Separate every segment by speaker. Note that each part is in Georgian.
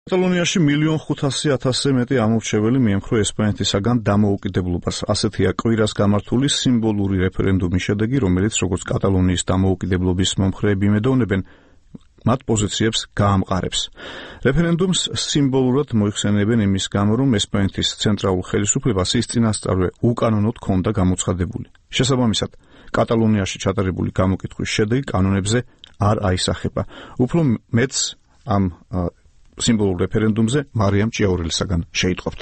Speaker 1: კატალონიაში 1,500,000-ზე მეტი ამორჩეველი მიემხრო ესპანეთისაგან დამოუკიდებლობას. ასეთია კვირას გამართული სიმბოლური რეფერენდუმის შედეგი, რომელიც როგორც კატალონიის დამოუკიდებლობის მომხრეები იმედოვნებენ, მათ პოზიციებს გაამყარებს. რეფერენდუმს სიმბოლურად მოიხსენებენ იმის გამო, რომ ესპანეთის ცენტრალურ ხელისუფლებას ის წინასწარვე უკანონოდ ჰქონდა გამოცხადებული. შესაბამისად, კატალონიაში ჩატარებული გამოკითხვის შედეგი კანონებზე არ აისახება. უფრო მეტს ამ სიმბოლურ რეფერენდუმზე მარიამ ჭიაურელისაგან შეიტყობთ.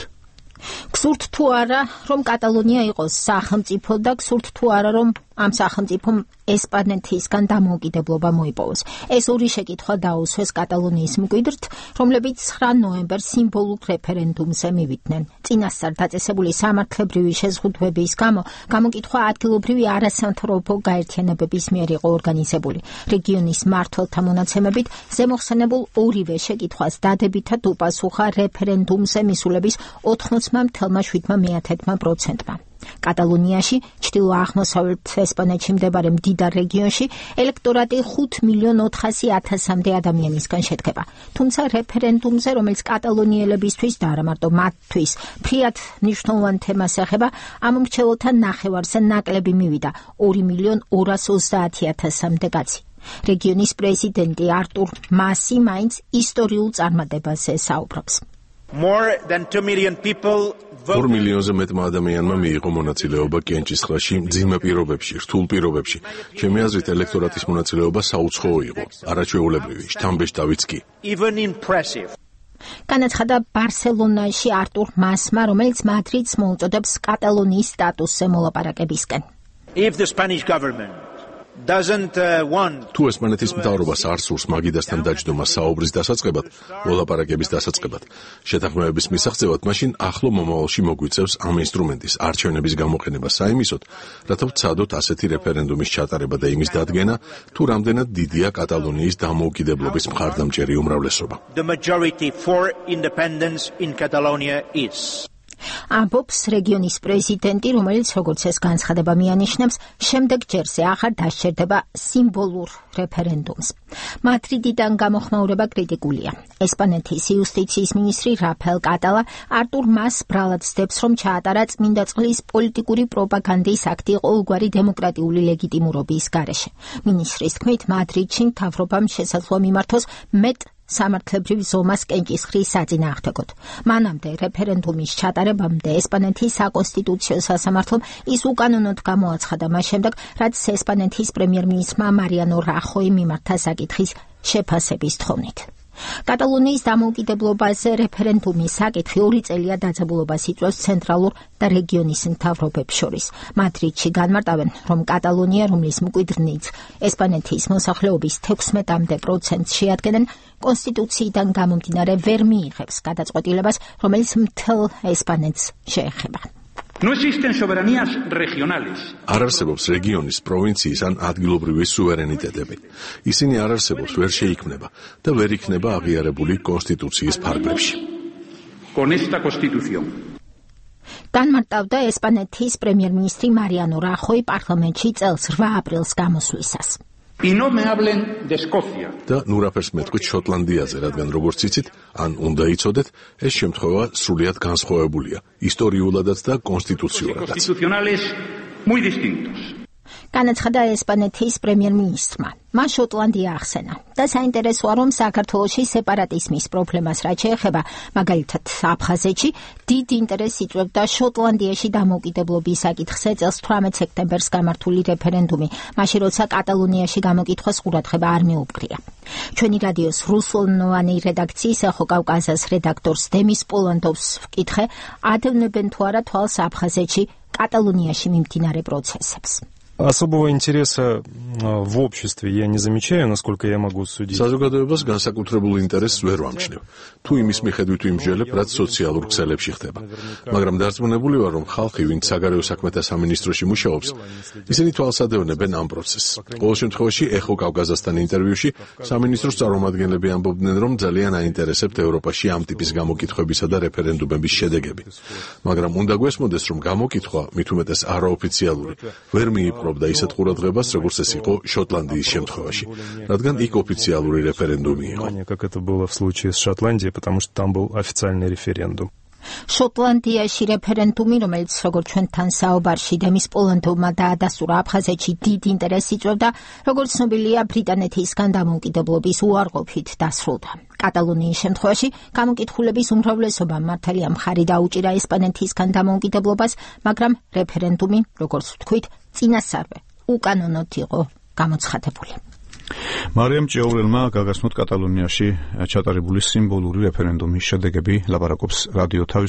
Speaker 2: გსურთ თუ არა, რომ კატალონია იყოს სახელმწიფო და გსურთ თუ არა, რომ ამ სახელმწიფომ ესპანეთისგან დამოუკიდებლობა მოიპოვოს. ეს ორი შეკითხვა დაუსვეს კატალონიის მკვიდრთ, რომლებიც 9 ნოემბერს სიმბოლურ რეფერენდუმზე მივიდნენ. წინასწარ დაწესებული სამართლებრივი შეზღუდვების გამო გამოკითხვა ადგილობრივი არასამთავრობო გაერთიანებების მიერ იყო ორგანიზებული. რეგიონის მმართველთა მონაცემებით ზემოხსენებულ ორივე შეკითხვას დადებითად უპასუხა რეფერენდუმზე მისულების 80,7%. კატალონიაში, ჩრდილო-აღმოსავლეთ ესპანეთში მდებარე მდიდარ რეგიონში, ელექტორატი 5,400,000-მდე ადამიანისგან შედგება. თუმცა რეფერენდუმზე, რომელიც კატალონიელებისთვის და არა მარტო მათთვის ფრიად მნიშვნელოვან თემას ეხება, ამ მრჩეველთა ნახევარზე ნაკლები მივიდა 2,230,000-მდე კაცი. რეგიონის პრეზიდენტი არტურ მასი მაინც ისტორიულ წარმატებაზე საუბრობს.
Speaker 3: 2 მილიონზე მეტმა ადამიანმა მიიღო მონაწილეობა კენჭისყრაში, მძიმე პირობებში, რთულ პირობებში. ჩემი აზრით, ელექტორატის მონაწილეობა საუცხოო იყო, არაჩვეულებრივი, შთამბეჭდავიც კი.
Speaker 2: განაცხადა ბარსელონაში არტურ მასმა, რომელიც მადრიდს მოუწოდებს კატალონიის სტატუსზე მოლაპარაკებისკენ.
Speaker 3: თუ ესპანეთის მთავრობას არ სურს მაგიდასთან დაჯდომა საუბრის დასაწყებად, მოლაპარაკების დასაწყებად, შეთანხმებების მისაღწევად, მაშინ ახლო მომავალში მოგვიწევს ამ ინსტრუმენტის არჩევნების გამოყენება საიმისოდ, რათა ვცადოთ ასეთი რეფერენდუმის ჩატარება და იმის დადგენა, თუ რამდენად დიდია კატალონიის დამოუკიდებლობის მხარდამჭერი უმრავლესობა.
Speaker 2: ამბობს რეგიონის პრეზიდენტი, რომელიც როგორც ეს განცხადება მიანიშნებს, შემდეგ ჯერზე აღარ დასჭერდება სიმბოლურ რეფერენდუმს. მადრიდიდან გამოხმაურება კრიტიკულია. ესპანეთის იუსტიციის მინისტრი რაფაელ კატალა არტურ მას ბრალად ცდებს, რომ ჩაატარა წმინდა წყლის პოლიტიკური პროპაგანდის აქტი ყოველგვარი დემოკრატიული ლეგიტიმურობის გარეშე. მინისტრის თქმით, მადრიდში მთავრობამ შესაძლოა მიმართოს მეტ სამართლებრივ ზომას კენჭისყრის საწინააღმდეგოდ. მანამდე რეფერენდუმის ჩატარებამდე ესპანეთის საკონსტიტუციო სასამართლომ ის უკანონოდ გამოაცხადა მას შემდეგ, რაც ესპანეთის პრემიერ-მინისტრმა მარიანო რახოიმ მიმართა საკითხის შეფასების თხოვნით. კატალონიის დამოუკიდებლობაზე რეფერენდუმის საკითხი 2 წელია დაძაბულობას იწვევს ცენტრალურ და რეგიონის მთავრობებს შორის. მადრიდში განმარტავენ, რომ კატალონია, რომლის მკვიდრნიც ესპანეთის მოსახლეობის 16% შეადგენენ, კონსტიტუციიდან გამომდინარე ვერ მიიღებს გადაწყვეტილებას, რომელიც მთელ ესპანეთს შეეხება.
Speaker 3: არ არსებობს რეგიონის, პროვინციის ან ადგილობრივი სუვერენიტეტები. ისინი არ არსებობს, ვერ შეიქმნება და ვერ იქნება აღიარებული კონსტიტუციის ფარგლებში.
Speaker 2: განმარტავდა ესპანეთის პრემიერ-მინისტრი მარიანო რახოი პარლამენტში წელს 8 აპრილს გამოსვლისას.
Speaker 3: და ნურაფერს მეტყვით შოტლანდიაზე, რადგან როგორც იცით, ან უნდა იცოდეთ, ეს შემთხვევა სრულიად განსხვავებულია, ისტორიულადაც და კონსტიტუციურადაც.
Speaker 2: განაცხადა ესპანეთის პრემიერ-მინისტრმა. მას შოტლანდია ახსენა და საინტერესოა, რომ საქართველოში სეპარატიზმის პრობლემას რაც შეეხება, მაგალითად აფხაზეთში, დიდ ინტერესს იწვევდა შოტლანდიაში დამოუკიდებლობის საკითხზე წელს 18 სექტემბერს გამართული რეფერენდუმი, მაშინ როცა კატალონიაში გამოკითხვას ყურადღება არ მეუპყრია. ჩვენი რადიოს რუსულენოვანი რედაქციის ეხო კავკასიის რედაქტორს დემის პოლანდოვს ვკითხე, ადევნებენ თუ არა თვალს აფხაზეთში კატალონიაში მიმდინარე პროცესებს.
Speaker 4: Особого интереса в обществе я не замечаю, насколько я могу судить.
Speaker 3: საზოგადოებას განსაკუთრებულ ინტერესს ვერ ვამჩნევ. თუ იმის მიხედვით ვიმსჯელებ, რაც სოციალურ ქსელებში ხდება. მაგრამ დარწმუნებული ვარ, რომ ხალხი, ვინც საგარეო საქმეთა სამინისტროში მუშაობს, ისინი თვალს ადევნებენ ამ პროცესს. ყოველ შემთხვევაში, ეხო კავკასიასთან ინტერვიუში სამინისტროს წარმომადგენლები ამბობდნენ, რომ ძალიან აინტერესებთ ევროპაში ამ ტიპის გამოკითხვებისა და რეფერენდუმების შედეგები. მაგრამ უნდა გვესმოდეს, რომ გამოკითხვა, მით უმეტეს არაოფიციალური, ვერ მიიპყრო ემსახურებდა ისეთ ყურადღებას, როგორც ეს იყო შოტლანდიის შემთხვევაში, რადგან იქ ოფიციალური რეფერენდუმი იყო.
Speaker 4: Как это было в случае с Шотландией, потому что там был официальный референдум.
Speaker 2: შოტლანდიაში რეფერენდუმი, რომელიც როგორც ჩვენთან საუბარში დემის პოლონეთმა დაადასტურა აფხაზეთში დიდ ინტერესს იწვევდა, როგორც ცნობილია, ბრიტანეთისგან დამოუკიდებლობის უარყოფით დასრულდა. კატალონიის შემთხვევაში გამოკითხულების უმრავლესობამ მართალია მხარი დაუჭირა ესპანეთისგან დამოუკიდებლობას, მაგრამ რეფერენდუმი, როგორც ვთქვით, წინასწარვე უკანონოდ იყო გამოცხადებული.
Speaker 1: მარიამ ჭიაურელმა გაგაცნოთ კატალონიაში ჩატარებული სიმბოლური რეფერენდუმის შედეგები, ლაპარაკობს რადიო თავის